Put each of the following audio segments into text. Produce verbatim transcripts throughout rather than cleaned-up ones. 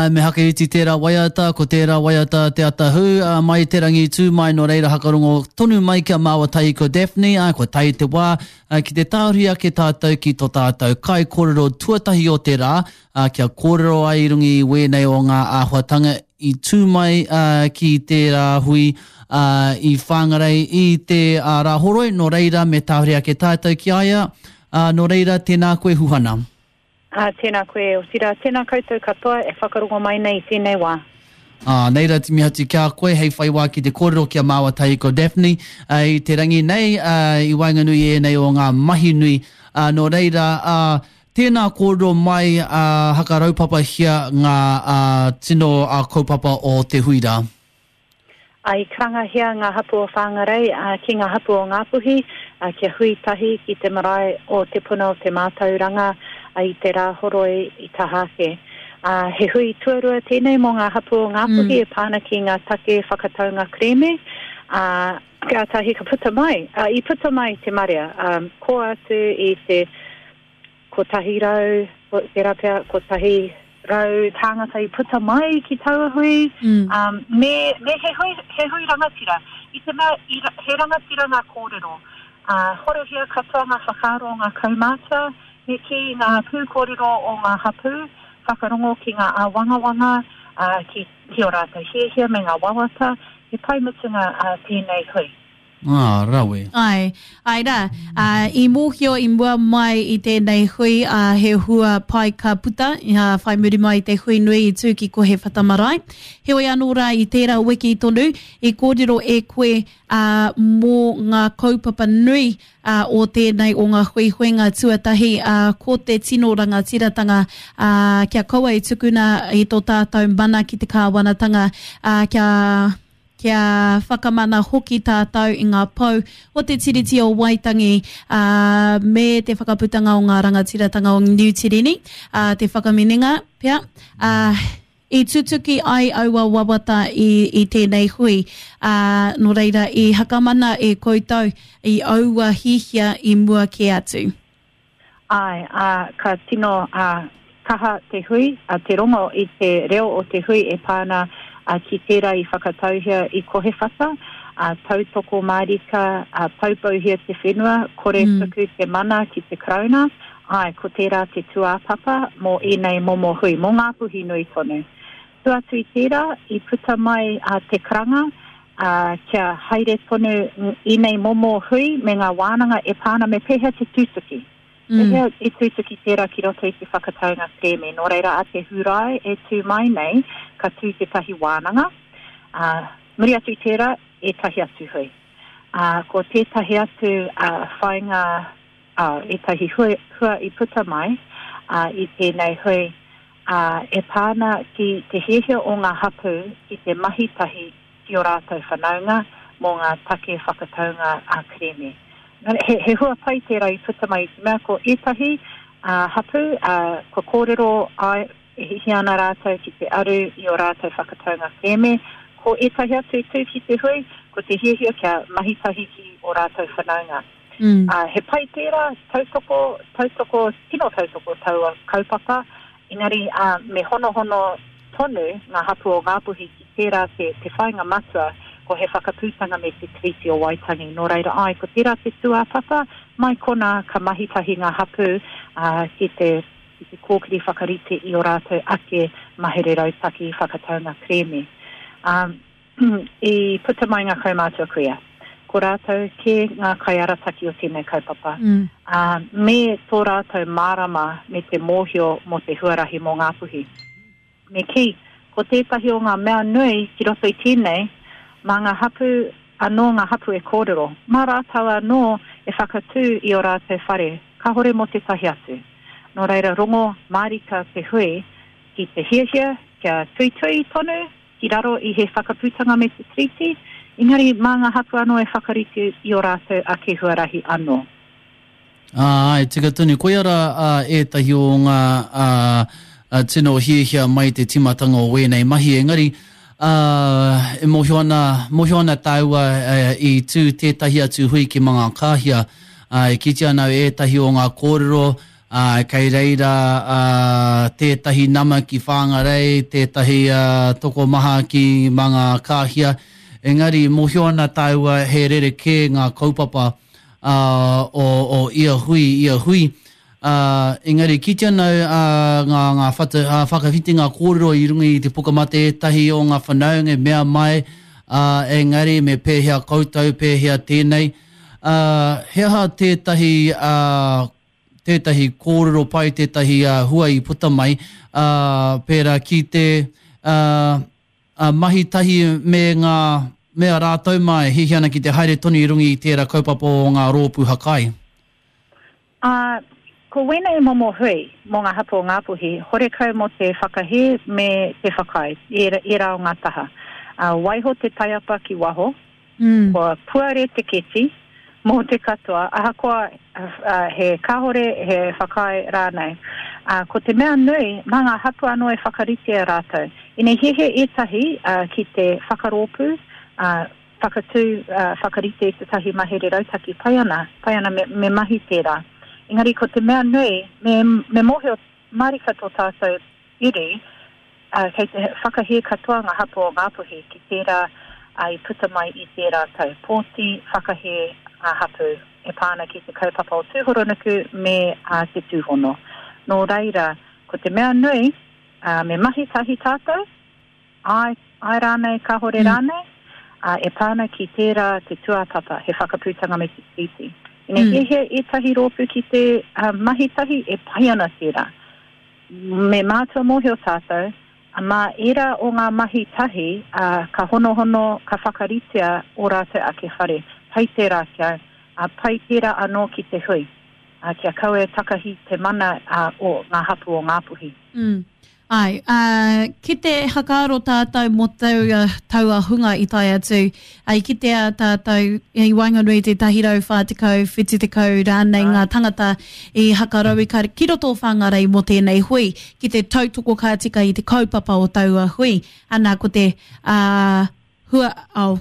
Ā, me hakaiti tērā waiata, ko tērā waiata te atahū, ā, mai te rangi tū mai, nō reira hakarongo tonu mai ki a māua tahi ko Daphne, ā, kua tae te wā, ā, ki te tāhuri ake tātou ki tō tātou kaikōrero tuatahi o te rā, ā, kia kōrero ai i runga i wēnei o ngā āhuatanga i tū mai, ā, ki tērā hui, ā, i Whangarei i te, ā, Rāhoroi, nō reira me tāhuri ake tātou ki a ia, ā, nō reira tēnā koe Huhana. Ā, tēnā koe, otirā, tēnā koutou katoa e whakarongo mai nei i tēnei wā. Ā, nei rā te mihi atu ki a koe, hei whai wā ki te kōrero ki a māua tahi ko Daphne, ā, i te rangi nei, ā, i waenganui i ēnei o ngā mahi nui. Ā, nō reira, ā, tēnā kōrero mai, ā, hakaraupapahia ngā, ā, tino, ā, kaupapa o te hui rā. Ā, i karangahia ngā hapū o Whāngarei ki ngā hapū o Ngāpuhi kia hui tahi ki te marae o Te Puna o Te Mātauranga i te Rāhoroi i Tahake. Ā, he hui tuarua tēnei mō ngā hapū o Ngāpuhi mm. e pā ana ki ngā take whakataunga kerēme, ā, kātahi ka puta mai, ā, i puta mai te marea, ā, kō atu i te kotahi rau, tērā pea kotahi rau tāngata i puta mai ki taua hui, mm. um, me, me he, hui, he hui rangatira. I te mea, i, he rangatira ngā kōrero. Uh, horohia katoa ngā whakaaro o ngā kaumātua, me kī ngā pūkōrero o ngā hapū, whakarongo ki ngā āwangawanga, uh, ki, ki ō rātou hiahia me ngā wawata, he pai mutunga uh, tēnei hui. Ā, rawe. Āe, āe rā. Ā, i mōhio i mua mai i tēnei hui, ā, he hua pai ka puta, ā, whai muri mai i te hui nui i tū ki Kohewhata Marae. Heoi anō rā, i tērā wiki tonu, i kōrero e koe, ā, mō ngā kaupapa nui, ā, o tēnei o ngā huihuinga tuatahi, ā, ko te tino rangatiratanga, ā, kia kaua e tukuna i tō tātou mana ki te kāwanatanga, ā, kia kia whakamana hoki tātou i ngā pou o te Tiriti o Waitangi, ā, me te whakaputanga o ngā rangatiratanga o Niu Tireni, ā, te whakaminenga pea, ā, i tutuki ai aua wawata i, i tēnei hui, ā, nō reira i hakamana e koutou i aua hihia i mua kē atu. Āe, ā, ka tino, ā, kaha te hui, ā, te rongo i te reo o te hui e pā ana, ā, ki tērā i whakatauhia i Kohewhata, ā, tautoko mārika, ā, poupouhia te whenua, kore mm. tuku te mana ki te Karauna, āe, ko tērā te tūāpapa mō ēnei momo hui, mō Ngāpuhi nui tonu. Tua atu i tērā, i puta mai a te karanga, ā, kia haere tonu ēnei momo hui me ngā wānanga e pā ana me pēhea te tutuki. Pēhea i tutuki tērā ki roto i te whakataunga kerēme? Nō reira, a te Hūrae e tū mai nei, ka tū tētahi wānanga, ā, muri atu i tērā, ētahi atu hui. Ā, ko tētahi atu whāinga, ā, ētahi hua, hua i puta mai, ā, i tēnei hui, ā, e pā ana ki te hiahia o ngā hapū ki te mahi tahi ki ō rātou whanaunga mō ngā take whakataunga ā-kerēme. He, he hua pai tērā i puta mai i te mea ko ētahi uh, hapū uh, kua kōrero ai, e hiahia ana rātou ki te aru i ō rātou whakataunga kerēme. Ko ētahi atu i tū ki te hui, ko te hiahia kia mahi tahi ki ō rātou whanaunga. Mm. Uh, he pai tērā, tautoko, tautoko, tino tautoko taua kaupapa, engari uh, me honohono tonu ngā hapū o Ngāpuhi ki tērā te, te whāinga matua ko he whakaputanga me te Tiriti o Waitangi. Nō reira, āe, ko tērā te tūāpapa, mai konā ka mahi tahi ngā hapū uh, ki te ki te kōkiri whakarite i ō rātou ake mahere rautaki whakataunga kerēme. Um, i puta mai ngā kaumātua kuia. Ko rātou kē ngā kaiarataki o tēnei kaupapa. Mm. Uh, me tō rātou mārama me te mōhio mō te huarahi mō Ngāpuhi. Me kī, ko tētahi o ngā mea nui ki roto i tēnei, mā ngā hapū anō ngā hapū e kōrero, mā rātou anō e whakatū i ō rātou whare, kāhore mō tētahi atu. Nō reira, rongo mārika te hui ki te hiahia kia tuitui tonu ki raro i he whakaputanga me te Tiriti, engari mā ngā hapū anō e whakarite i ō rātou ake huarahi anō. Ā, āe, tika tonu. Koia rā ētahi o ngā tino hiahia mai te tīmatanga o wēnei mahi, engari, ā, e mōhio ana, mōhio ana tāua i tū tētahi atu hui ki Mangakāhia, ā, e kitea ana au ētahi o ngā kōrero, Uh, kei reira uh, tētahi nama ki Whangarei, tētahi uh, tokomaha ki Mangakāhia. Engari, mōhio ana tāua he rerekē ngā kaupapa uh, o, o ia hui, ia hui. Uh, engari, kite ana uh, ngā, ngā whata, uh, whakawhitinga kōrero i runga i te pukamata ētahi o ngā whanaunga mea mai, uh, engari me pēhea koutou, pēhea tēnei. Uh, he aha tētahi uh, tētahi kōrero pai, tētahi uh, hua i puta mai, uh, pērā ki te uh, uh, mahi tahi me ngā me a rātou mai, hihi ana ki te haere tonu i runga i tērā kaupapa o ngā rōpū hakai. Uh, ko wēnei momo hui mō ngā hapū o Ngāpuhi, horekau mō te whakahē me te whakaae, ērā, ērā o ngā taha. Uh, waiho te taiapa ki waho, mm. kua puare te keti mō te katoa, ahakoa uh, he kāhore, he whakaae rānei. Uh, ko te mea nui, mā ngā hapū anō e whakaritea rātou. Ine hehe ētahi uh, ki te whakarōpū, uh, whakatū, uh, whakarite tētahi mahere rautaki, pai ana, pai ana me, me mahi tērā. Engari ko te mea nui, me, me mōhio marika tō tātou iri, uh, kei te whakahē katoa ngā hapū o Ngāpuhi ki tērā uh, i puta mai i tērā tau. Pōti whakahē ngā hapū e pā ana ki te kaupapa o Tūhoronuku me uh, te Tūhono. Nō reira, ko te mea nui, uh, me mahi tahi tātou, ai, ai rānei, kāhore mm. rānei, uh, e pā ana ki tērā te tūāpapa, he whakaputanga me te tiriti. Ine mm. hiahia ētahi rōpū ki te uh, mahi tahi e pai ana tērā. Me mātua mōhio tātou, mā ērā o ngā mahi tahi, uh, ka honohono, ka whakaritea o rātou ake whare. Pai tērā kia, uh, pai tērā anō ki te hui, uh, kia kaua e takahi te mana uh, o ngā hapū o Ngāpuhi. Mm. Ai, uh, ki te hakaaro tātou mō taua, taua hunga i tae atu, ai kitea tātou i waenganui te tahi rau whā tekau, whitu tekau rānei ngā tangata i hakarauika ki roto o Whangarei mō tēnei hui, ki te tautoko ka tika i te kaupapa o taua hui. Ana ko te uh, hua, oh,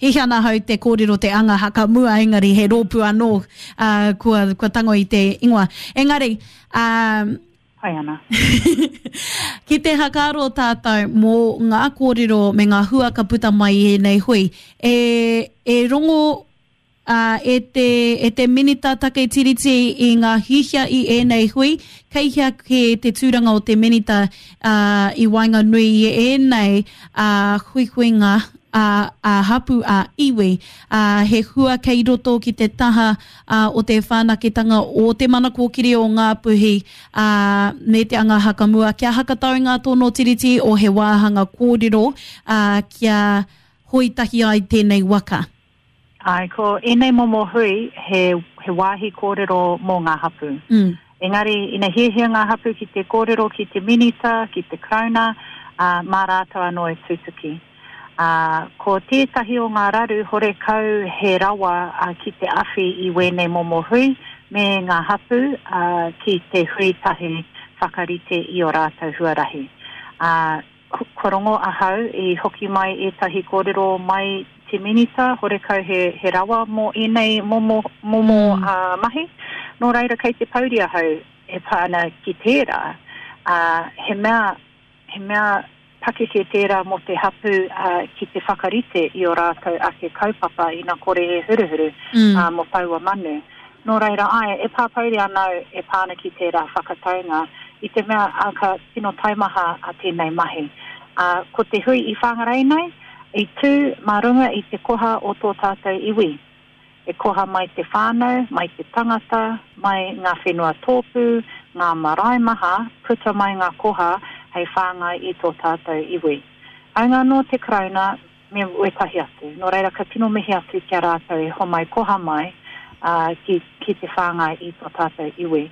hihi ana hau te kōrero te anga haka mua, engari he rōpū anō uh, kua, kua tango i te ingoa. Engari, um, pai ana. Ki te hakaaro tātou mō ngā kōrero me ngā hua ka puta mai i ēnei hui, e, e rongo uh, e, te, e te minita take tiriti i ngā hihia i ēnei hui, kei hea ke te tūranga o te minita uh, i waenganui i ēnei uh, huihuinga a, a hapu a iwi, a, he hua kei roto ki te taha a, o te whanaketanga o te mana kōkiri o Ngāpuhi a, me te anga hakamua, kia hakatau ngā tono tiriti o he wāhanga kōrero a, kia hoitahi ai tēnei waka. Ai, ko ēnei momo hui he, he wāhi kōrero mō ngā hapū. Mm. Engari, ina hiahia ngā hapū ki te kōrero ki te minita, ki te Karauna, uh, mā rātou anō e tutuki. Uh, ko tētahi o ngā raru horekau he rawa uh, ki te awhi i wēnei momo hui me ngā hapū uh, ki te hui tahi whakarite i o rātou huarahi. Uh, kua rongo ahau i hoki mai ētahi kōrero mai te minita, horekau he, he rawa mō ēnei momo, momo mm. uh, mahi. Nō reira kei te pouri ahau e pā ana ki tērā. Uh, he mea, he mea pakeke tērā mō te hapū uh, ki te whakarite i o rātou ake kaupapa ina kore e huruhuru mm. uh, mō taua manu. Nō reira, ai, e pāpouri anau e pāna ki tērā whakataunga i te mea uh, ka tino taimaha a tēnei mahi. Uh, ko te hui i Whangarei nei, i tū mā runga i te koha o tō tātou iwi. E koha mai te whānau, mai te tangata, mai ngā whenua tōpū, ngā marae maha, puta mai ngā koha hei whāngai i tō tātou iwi. Aunga anō te Karauna me wetahi atu. Nō reira ka tino mihi atu kia rātou e homai koha mai uh, ki, ki te whāngai i tō tātou iwi.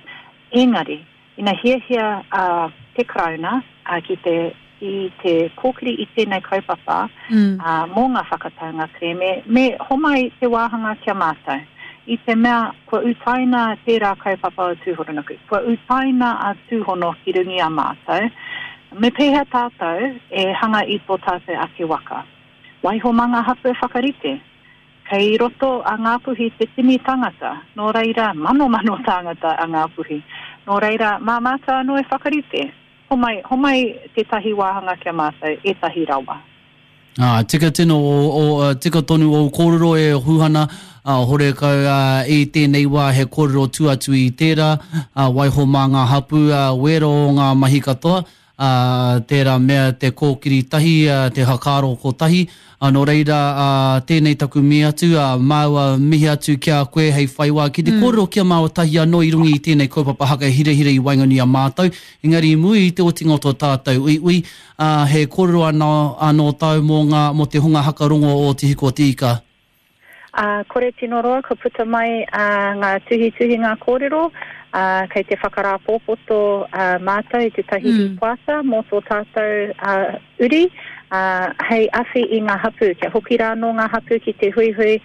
Engari, ina hiahia uh, te Karauna uh, ki te i te kōkiri i tēnei kaupapa mm. uh, mō ngā whakataunga kerēme, me homai te wāhanga kia mātou. I te mea kua utaina tērā kaupapa o Tūhoronuku, kua utaina a Tūhono ki rungi a mātou, me pēhea tātou e hanga i tō tātou ake waka. Waiho mā ngā hapū whakarite. Kei roto a Ngāpuhi te tini tangata, nō reira mano mano tāngata a Ngāpuhi. Nō reira, mā mātou anō e whakarite. Homai, homai tētahi wāhanga kia mātou, ētahi rawa. Ah, tika tino o, o, tika tonu o kōrero e Huhana, uh, horekau uh, i tēnei wā he kōrero tuatu i tērā, uh, waiho mā ngā hapu, uh, wero o ngā mahi katoa, uh, tērā mea te kōkiri tahi, uh, te hakaro ko tahi, uh, nō reira uh, tēnei taku mihi atu, uh, māua mihi atu ki a koe hei whai wā ki te mm. kōrero kia māua tahi anō i runga i tēnei kaupapa haka hirahira i waenganui a mātou, engari i muri i te otinga o tō tātou uiui, uh, he kōrero anō, anō tau mō, ngā, mō te hunga hakarongo o Te Hiku o Te Ika. Uh, kore tino roa ka puta mai uh, ngā tuhituhi ngā kōrero, uh, kei te whakarāpōpoto uh, mātou i tētahi mm. rīpoata mō tō tātou uh, uri, uh, hei awhi i ngā hapu, kia hoki rā nō ngā hapu ki te huihui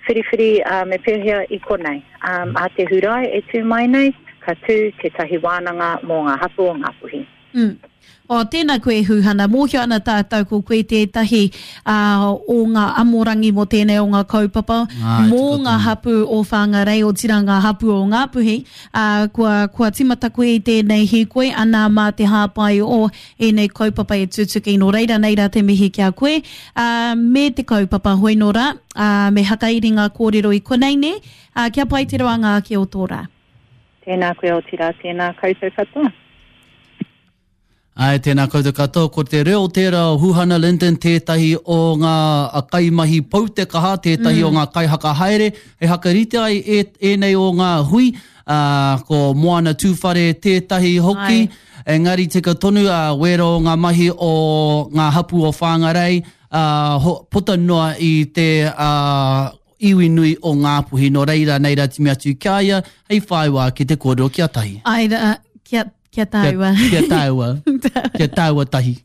whiriwhiri uh, me pēhea i konei. Um, a te Hurae e tū mai nei, ka tū tētahi wānanga mō ngā hapu o Ngāpuhi. Mm. O, tēnā koe Huhana, mōhio ana tātou ko koe tētahi uh, o ngā amorangi mō tēnei o ngā kaupapa, Ai, mō tika ngā tonu. hapu o Whangarei, o tira ngā hapu o Ngāpuhi, uh, kua, kua timata koe i tēnei hīkoi, ana mā te hāpai o ēnei kaupapa e tutuki nō reira, nei rā te mihi ki a koe, uh, me te kaupapa hoi nō rā, uh, me hakairi ngā kōrero i konei ne, uh, kia pai te roanga ake o tō rā. Tēnā koe o tira, tēnā koutou katoa. Ai, tēnā koutou katoa, ko te reo tērā o Huhana Lyndon tētahi o ngā kaimahi pou te kaha, tētahi mm. o ngā kaihaka haere, hei hakarite ai e, ēnei o ngā hui, uh, ko Moana Tūwhare tētahi hoki, Ai. engari tika tonu uh, wero o ngā mahi o ngā hapu o Whangarei, uh, ho, puta noa i te uh, iwi nui o Ngāpuhi, nō reira nei rā timi atu kia ia, hei whaiwā ki te kōrero kia tahi. Ai, uh, kia, kia tāua. Kia, kia tāua. Kia tāua tahi.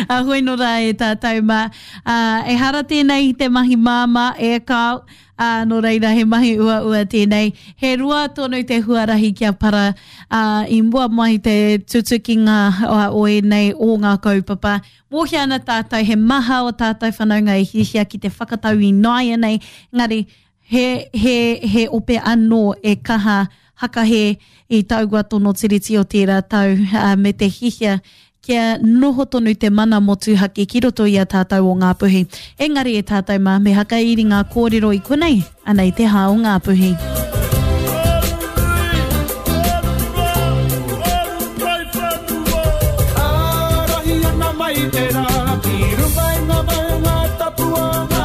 A hoi nō rā e tātou mā. Uh, e hara tēnei te mahi māmā e kao, uh, nō reira he mahi ua ua tēnei. He roa tonu te huarahi kia para uh, i mua mai te tutukinga o ēnei o ngā kaupapa. Mōhia ana tātou, he maha o tātou whanaunga e hihia ki te whakatau i nāianei, engari he, he, he ope anō e kaha hakahe i taua tono tiriti o tērā tau uh, me te hihia kia noho tonu te mana motuhake ki roto i a tātou o Ngāpuhi. Engari e tātou mā, me hakairi ngā kōrero i konei, anei te hā o Ngāpuhi. Ārahi ana mai te rā, ki runga i ngā maunga tapu o